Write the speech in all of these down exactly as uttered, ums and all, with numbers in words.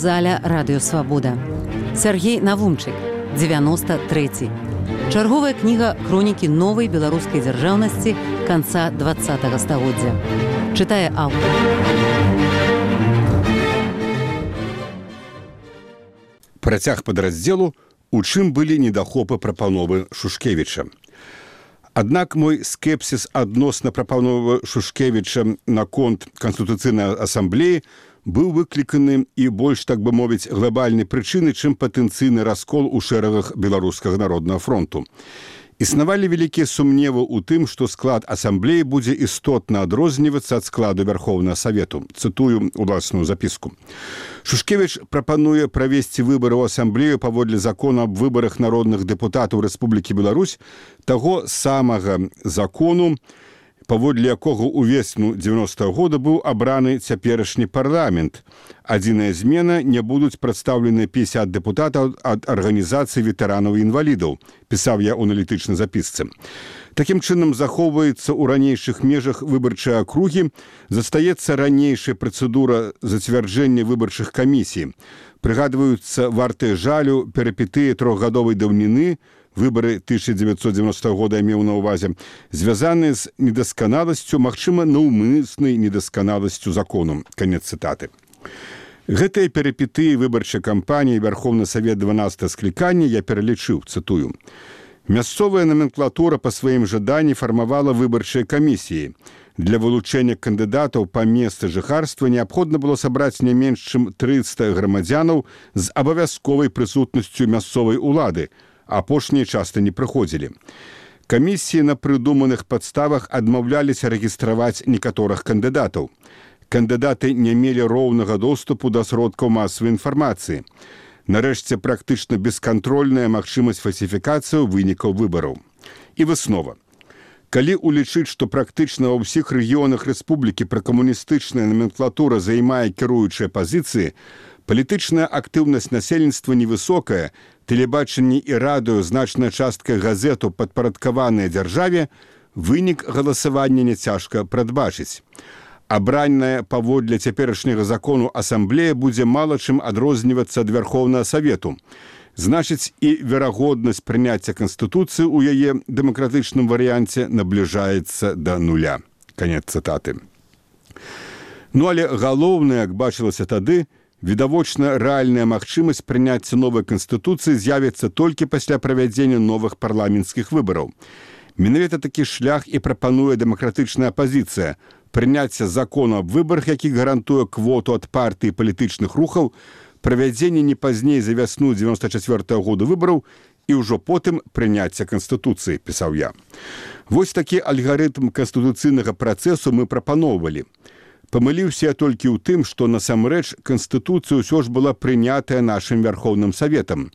заля радыёвабода. Сергей Навумчык, девяносто третий. Чарговая кніга хронікі новай беларускай дзяржаўнасці канца двадцатага стагоддзя. Чытае аўтар. Працяг падраздзелу, у чым былі недахопы прапановы Шушкевіча. Аднак мой скепсіс адносна прапановы Шушкевіча наконт Канстытуцыйнай асамблеі быў выкліканы і больш, так бы мовіць, глобальнай прычыны, чым патэнцыйны раскол у шэрагах Беларускага народнага фронту. Існавалі вялікія сумневы ў тым, што склад асамблеі будзе істотна адрознівацца ад складу Вярхоўнага Савету. Цытую уласную запіску. Шушкевіч прапануе правесці выбары ў асамблею паводле закона аб выбарах народных дэпутатаў Рэспублікі Беларусь, таго самага закону, паводле якога ўвесну дзевяностага года быў абраны цяперашні парламент. Адзіная змена, не будуць прадстаўлены пятьдесят дэпутатаў ад арганізацыі ветэранаў і інвалідаў, пісаў я ў аналітычнай запісцы. Такім чынам захоўваецца ў ранейшых межах выбарчай акругі, застаецца ранейшая працэдура зацвярджэння выбарчых камісій. Прыгадваюцца вартыя жалю перыпетыі трохгадовай даўніны, выбары тысяча девятьсот девяностого года я меў на ўвазе, звязаныя з недасканаласцю, магчыма, наўмыснай недасканаласцю закону. Канец цытаты. Гэтыя перыпетыі выбарчай кампаніі Вярхоўны Савет дванаццатага склікання я пералічыў, цытую. Мясцовая номенклатура па сваім жаданні фармавала выбарчыя камісіі. Для вылучэння кандыдатаў па месцы жыхарства неабходна было сабраць не менш чым трыста грамадзянаў з абавязковай прысутнасцю мясцовай улады, апошнія часта не прыходзілі. Камісіі на прыдуманых падставах адмаўляліся рэгістраваць некаторых кандыдатаў. Кандыдаты не мелі роўнага доступу да сродкаў масавай інфармацыі. Нарэшце, практычна бескантрольная магчымасць фальсіфікацыі вынікаў выбараў. І выснова. Калі улічыць, што практычна ва ўсіх рэгіёнах рэспублікі пракамуністычная номенклатура займае кіруючыя пазіцыі, палітычная актыўнасць насельніцтва невысокая, тэлебачанне і радыё, значная частка газету падпарадкаваная дзяржаве, вынік галасавання няцяжка прадбачыць. Абранная паводле цяперашняга закону асамблея будзе мала чым адрознівацца ад Вярхоўнага Савету. Значыць, і верагоднасць прыняцця Канстытуцыі ў яе дэмакратычным варыянце набліжаецца да нуля. Канец цытаты. Ну, але галоўнае, як бачылася тады, відавочна рэальная магчымасць прыняцця новай Канстытуцыі з'явіцца толькі пасля правядзення новых парламенцкіх выбараў. Менавіта такі шлях і прапануе дэмакратычная апазіцыя – прыняцце закону аб выбарах, які гарантуе квоту ад партыі палітычных рухаў, правядзенне не пазней за вясну девяносто четвёртого года выбараў і ўжо потым прыняцце Канстытуцыі, пісаў я. Вось такі альгарытм канстытуцыйнага працэсу мы прапаноўвалі. Памыліўся я толькі ў тым, што насамрэч Канстытуцыя ўсё ж была прынятая нашым Вярхоўным Саветам.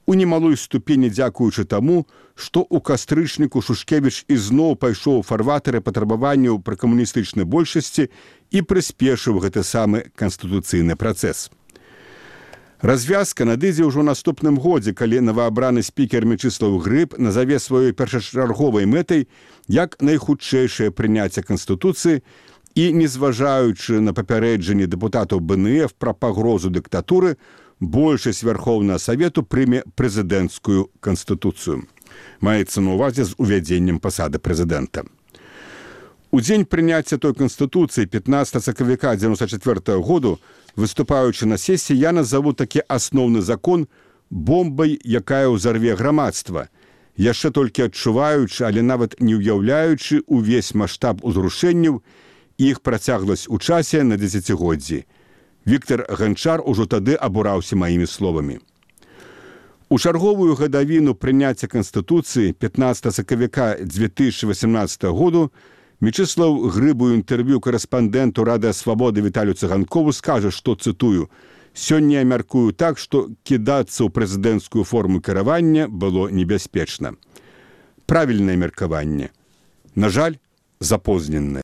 У немалой ступені дзякуючы таму, што ў кастрычніку Шушкевіч ізноў пайшоў у фарватары патрабаванняў пракамуністычнай большасці і прыспешыў гэты самы канстытуцыйны працэс. Развязка надыдзе ўжо ў наступным годзе, калі новаабраны спікер Мечыслаў Грыб назаве сваёй першачарговай мэтай як найхутчэйшае прыняцце Канстытуцыі і, незважаючы на папярэджанне дэпутатаў бэ эн эф пра пагрозу дыктатуры, большасць Вярхоўнага Савету прыме прэзідэнцкую Канстытуцыю. Маецца на ўвазе з увядзеннем пасады прэзідэнта. У дзень прыняцця той Канстытуцыі пятнадцатага сакавіка девяносто четвёртого году, выступаючы на сесіі, я назову такі асноўны закон бомбай, якая ўзарве грамадства, яшчэ толькі адчуваючы, але нават не ўяўляючы увесь маштаб узрушэнняў і іх працягласць у часе на дзесяцігоддзі. Віктор Ганчар ужо тады абураўся маімі словамі. У чарговую гадавіну прыняцця Канстытуцыі пятнадцатага сакавіка две тысячи восемнадцатого году Мечыслаў Грыб у інтэрв'ю карэспандэнту Радыё Свабоды Віталію Цыганкову скажа, што, цытую, «Сёння я мяркую так, што кідацца ў прэзідэнцкую форму кіравання было небяспечна». Правільнае меркаванне. На жаль, запозненнае.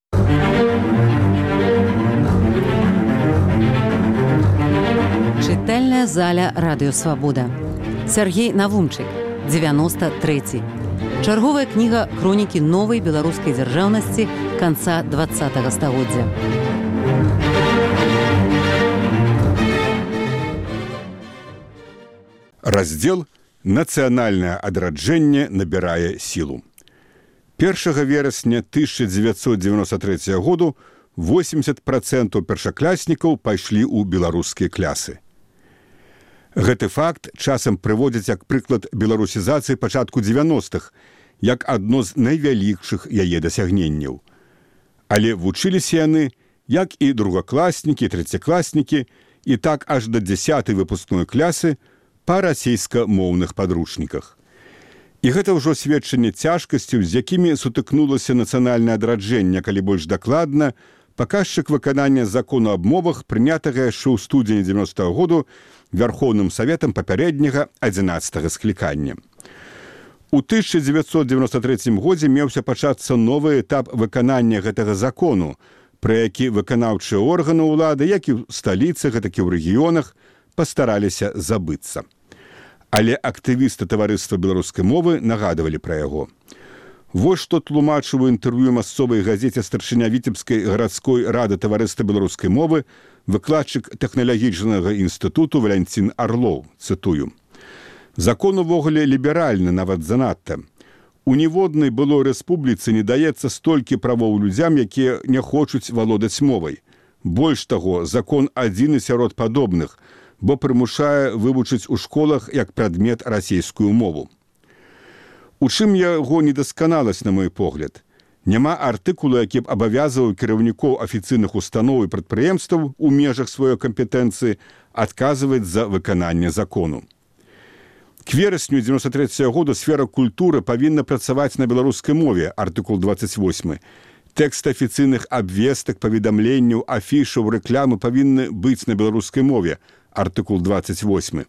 Чытальная заля радыёвабода. Сергей Навумчык, девяносто третий. Чарговая кніга хронікі новай беларускай дзяржаўнасці канца двадцатага стагоддзя. Раздзел «Нацыянальнае адраджэнне набірае сілу». першага верасня тысяча дзевяцьсот дзевяносто трэцяга году восемьдесят процентов першакласнікаў пайшлі ў беларускія клясы. Гэты факт часам прыводзяць як прыклад беларусізацыі пачатку дзевяностых, як адно з найвялікшых яе дасягненняў. Але вучыліся яны, як і другакласнікі, трэцякласнікі, і так аж да дзясятай выпускной клясы па расейскамоўных падручніках. І гэта ўжо сведчанне цяжкасцяў, з якімі сутыкнулася нацыянальнае адраджэнне, калі больш дакладна, паказчык выканання закону аб мовах, прынятага яшчэ ў студзені дзевяностага году Вярхоўным Саветам папярэдняга адзінаццатага склікання. У тысяча дзевяцьсот дзевяносто трэцім годзе меўся пачацца новы этап выканання гэтага закону, пра які выканаўчыя органы ўлады, як і ў сталіцах, так і ў рэгіёнах, пастараліся забыцца. Але актывісты таварыства беларускай мовы нагадывалі пра яго. Вось што тлумачыў у інтэрв'ю масовай газеце старшыня Віцебскай гарадской рады таварыства беларускай мовы выкладчык тэхналагічнага інстытуту Валянцін Арлоў, цытую. «Закон увогуле ліберальны, нават занадта. У ніводнай былой рэспубліцы не даецца столькі правоў людзям, якія не хочуць валодаць мовай. Больш таго, закон адзіны сярод падобных, бо прымушае вывучыць у школах як прадмет расейскую мову». У чым яго недасканаласць, на мой погляд? Няма артыкулу, які б абавязываў кіраўнікоў афіцыйных устаноў і прадпрыемстваў у межах сваёй кампетэнцыі адказваць за выкананне закону. К верасню дзевяносто трэцяга году сфера культуры павінна працаваць на беларускай мове, артыкул двадцать восьмы. Тэкст афіцыйных абвестак, паведамленняў, афішаў, рэклямы павінны быць на беларускай мове, артыкул двадцать восьмы.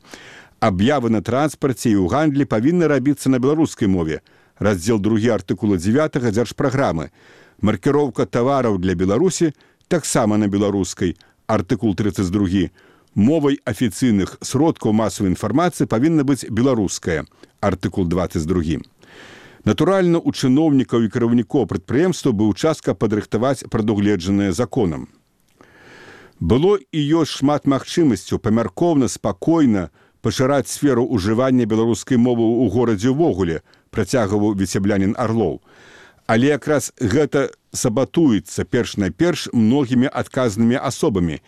Аб'явы на транспарце і ў гандлі павінны рабіцца на беларускай мове, раздзел другі артыкула дзевятага дзяржпраграмы. Маркіроўка тавараў для Беларусі таксама на беларускай, артыкул тридцать два. Мовай афіцыйных сродкаў масавай інфармацыі павінна быць беларуская, артыкул двадцать два. Натуральна, у чыноўнікаў і кіраўнікоў прадпрыемства быў час, каб падрыхтаваць прадугледжанае законам. Было і ёсць шмат магчымасцяў памяркоўна, спакойна пашыраць сферу ўжывання беларускай мовы ў горадзе ўвогуле, працягваў віцеблянін Арлоў. Але якраз гэта сабатуецца перш-найперш многімі адказнымі асобамі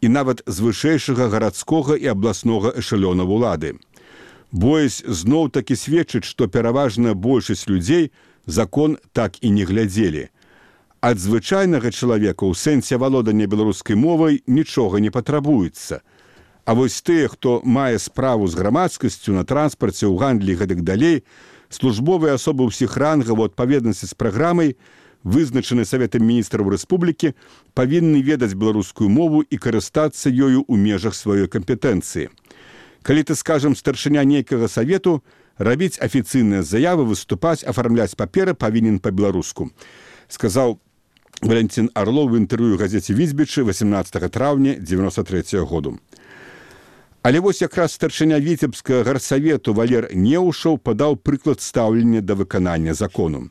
і нават з вышэйшага гарадскога і абласнога эшалёна ўлады. Боязь зноў-такі сведчыць, што пераважная большасць людзей закон так і не глядзелі. Ад звычайнага чалавека ў сэнсе валодання беларускай мовай нічога не патрабуецца. А вось тыя, хто мае справу з грамадскасцю на транспарце, ў гандлі і гэтак далей, службовыя асобы ўсіх рангаў у адпаведнасці з праграмай, вызначаны Саветам міністраў рэспублікі, павінны ведаць беларускую мову і карыстацца ёю ў межах сваёй кампетэнцыі. Калі ты, скажам, старшыня нейкага савету, рабіць афіцыйныя заявы, выступаць, афармляць паперы павінен па-беларуску, сказаў Валянцін Арлоў в інтэрв'ю газеце «Візбічы» восемнадцатага траўня дзевяносто трэцяга году. Але вось якраз старшыня Віцебскага гарсавету Валер Неўшаў падаў прыклад стаўлення да выканання закону.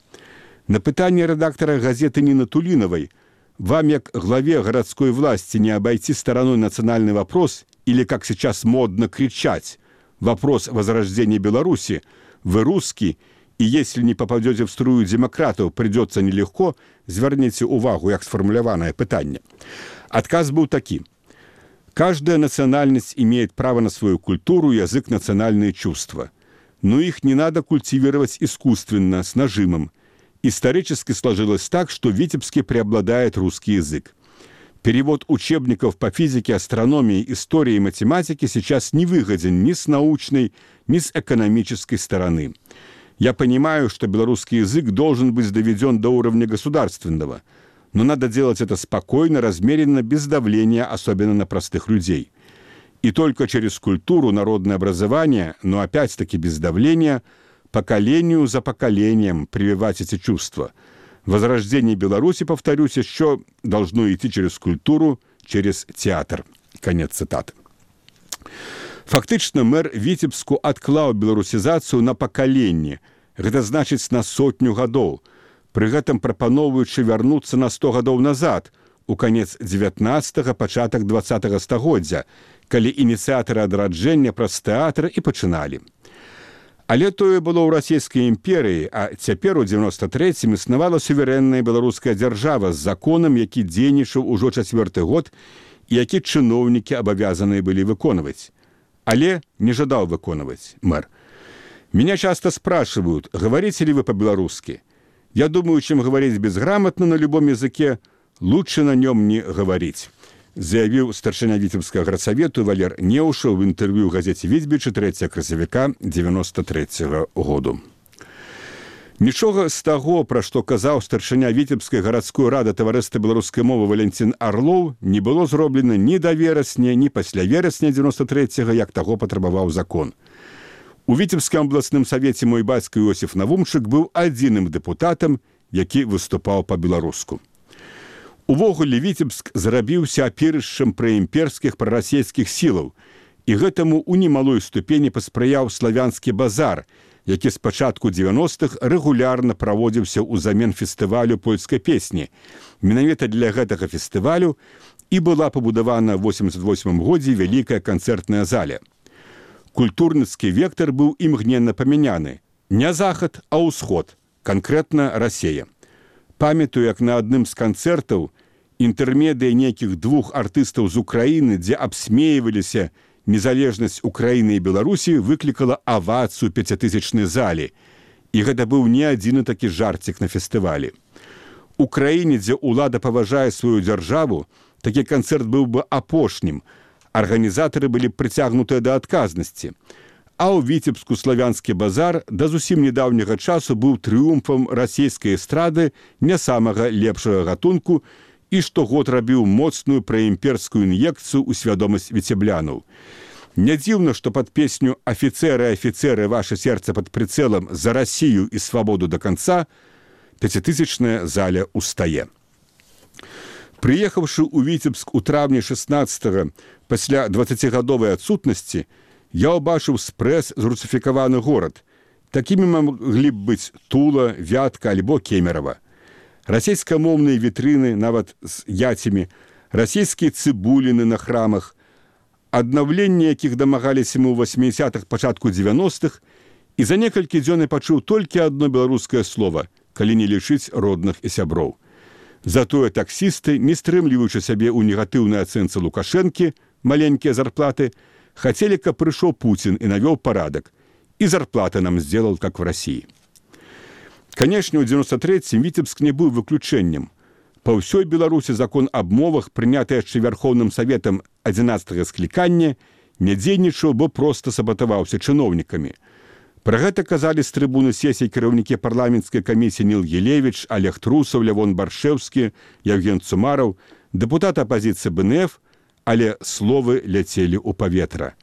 На пытанне рэдактара газеты Ніны Тулінавай: «Вам, як главе городской власти, не обойти стороной национальный вопрос или, как сейчас модно кричать, вопрос возрождения Беларуси? Вы русский, и если не попадете в струю демократов, придется нелегко, зверните увагу, як сформуляванное пытанне». Отказ был таким. Каждая национальность имеет право на свою культуру, язык, национальные чувства. Но их не надо культивировать искусственно, с нажимом. Исторически сложилось так, что в Витебске преобладает русский язык. Перевод учебников по физике, астрономии, истории и математике сейчас не выгоден ни с научной, ни с экономической стороны. Я понимаю, что белорусский язык должен быть доведен до уровня государственного, но надо делать это спокойно, размеренно, без давления, особенно на простых людей. И только через культуру, народное образование, но опять-таки без давления, поколению за поколением прививать эти чувства. Возрождение Беларуси, повторюсь, еще должно идти через культуру, через театр. Конец цитаты. Фактично, мэр Витебску адклаў беларусізацыю на пакаленне. Гэта значыць на сотню гадоў. Пры гэтым прапаноўваючы вярнуцца на сто гадоў назад, у канец дзевятнаццатага, пачатак дваццатага стагоддзя, калі ініцыятары адраджэння праз тэатр і пачыналі. Але тое было ў расійскай імперыі, а цяпер у дзевяноста трэцім існавала суверэнная беларуская дзяржава з законам, які дзейнічаў ужо чацвёрты год і які чыноўнікі абавязаныя былі выконваць. Але не жадаў выконваць мэр. Меня часто спрашивают, говорите ли вы по-белорусски. Я думаю, чем говорить безграмотно на любом языке, лучше на нем не говорить, заявил старшыня Віцебскага градсавету Валер Неўшаў в интервью газете «Вітьбічы» трэцяга красавіка дзевяноста трэцяга году. Нічога з таго, пра што казаў старшыня Віцебскай гарадской рады таварыства беларускай мовы Валентин Орлов, не было зроблена ні да верасня, ні пасля верасня дзевяноста трэцяга, як таго патрабаваў закон. У Віцебскім абласным савеце мой бацька Іосиф Навумчык быў адзіным дэпутатам, які выступаў па-беларуску. Увогуле Віцебск зрабіўся аперышчам праімперскіх прарасійскіх сілаў, і гэтаму ў немалой ступені паспрыяў славянскі базар, які з пачатку дзевяностых рэгулярна праводзіўся ўзамен фестывалю польскай песні. Менавіта для гэтага фестывалю і была пабудавана ў восемьдесят восьмым годзе вялікая канцэртная заля. Культурніцкі вектор быў імгненна памяняны. Не захад, а ўсход, канкрэтна Расія. Памятаю, як на адным з канцэртаў інтэрмедыя нейкіх двух артыстаў з Украіны, дзе абсмеиваліся незалежнасць Украіны і Беларусі, выклікала авацыю пяцітысячнай залі. І гэта быў не адзіны такі жарцік на фестывалі. У краіне, дзе ўлада паважае сваю дзяржаву, такі канцэрт быў бы апошнім. Арганізатары былі прыцягнутыя да адказнасці. А ў Віцебску славянскі базар да зусім недаўняга часу быў трыумфам расійскай эстрады не самага лепшага гатунку і штогод рабіў моцную праімперскую ін'екцыю ў свядомасць віцеблянаў. Не дзіўна, што пад песню «Афіцеры, афіцеры, ваше сердце пад прицелом за Россию і свабоду до конца» пяцітысячная заля устае. Прыехаўшы ў Віцебск у траўні шэснаццатага пасля дваццацігадовай адсутнасці, я ўбачыў спрэс зрусіфікаваны горад. Такімі маглі б быць Тула, Вятка альбо Кемерава. Расійскамоўныя вітрыны, нават з яцямі, расійскія цыбуліны на храмах, аднаўленне якіх дамагаліся мы ў васьмідзясятых, пачатку дзевяностых, і за некалькі дзён я пачуў толькі адно беларускае слова, калі не лічыць родных і сяброў. Затое таксісты, не стрымліваючы сябе ў негатыўнай ацэнцы Лукашэнкі, маленькія зарплаты, хацелі, каб прыйшоў Пуцін і навёў парадак, і зарплаты нам сделал, как в России. Канешне, ў дзевяноста трэцім Віцебск не быў выключэннем. Па ўсёй Беларусі закон аб мовах, прыняты яшчэ Вярхоўным Саветам адзінаццатага склікання, не дзейнічаў, бо проста сабатаваўся чыноўнікамі. Пра гэта казалі з трыбуны сесій кіраўнікі парламенцкай камісіі Ніл Елевіч, Олег Трусаў, Лявон Баршэўскі, Евген Цумараў, дэпутат апазіцыі Бэ Эн Эф, але словы ляцелі ў паветра.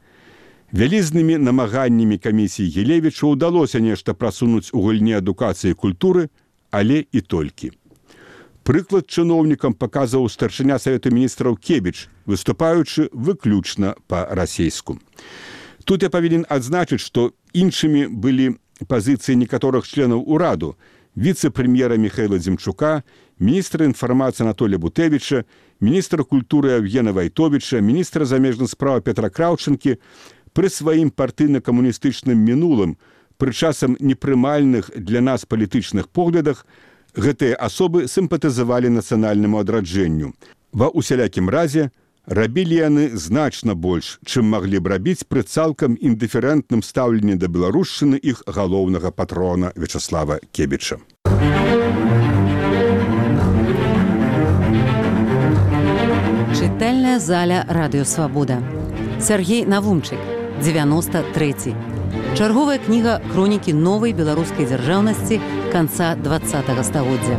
Вялізнымі намаганнямі камісіі Елевіча ўдалося нешта прасунуць у гульні адукацыі і культуры, але і толькі. Прыклад чыноўнікам паказваў старшыня Савету міністраў Кебіч, выступаючы выключна па-расейску. Тут я павінен адзначыць, што іншымі былі пазіцыі некаторых членаў ураду, віцэ-прэм'ера Міхаіла Дзімчука, міністра інфармацыі Анатолія Бутэвіча, міністра культуры Евгена Вайтовіча, міністра замежных спраў Петра Краўчынкі. Пры сваім партыйна-камуністычным мінулым, пры часам непрымальных для нас палітычных поглядах, гэтыя асобы сімпатызавалі нацыянальнаму адраджэнню. Ва ўсялякім разе, рабілі яны значна больш, чым маглі б рабіць пры цалкам індыферэнтным стаўленні да беларушчыны іх галоўнага патрона Вячаслава Кебіча. Чытальная заля Радыё Свабода. Сергей Навумчык, дзевяноста трэці. Чарговая кніга хронікі новай беларускай дзяржаўнасці канца дваццатага стагоддзя.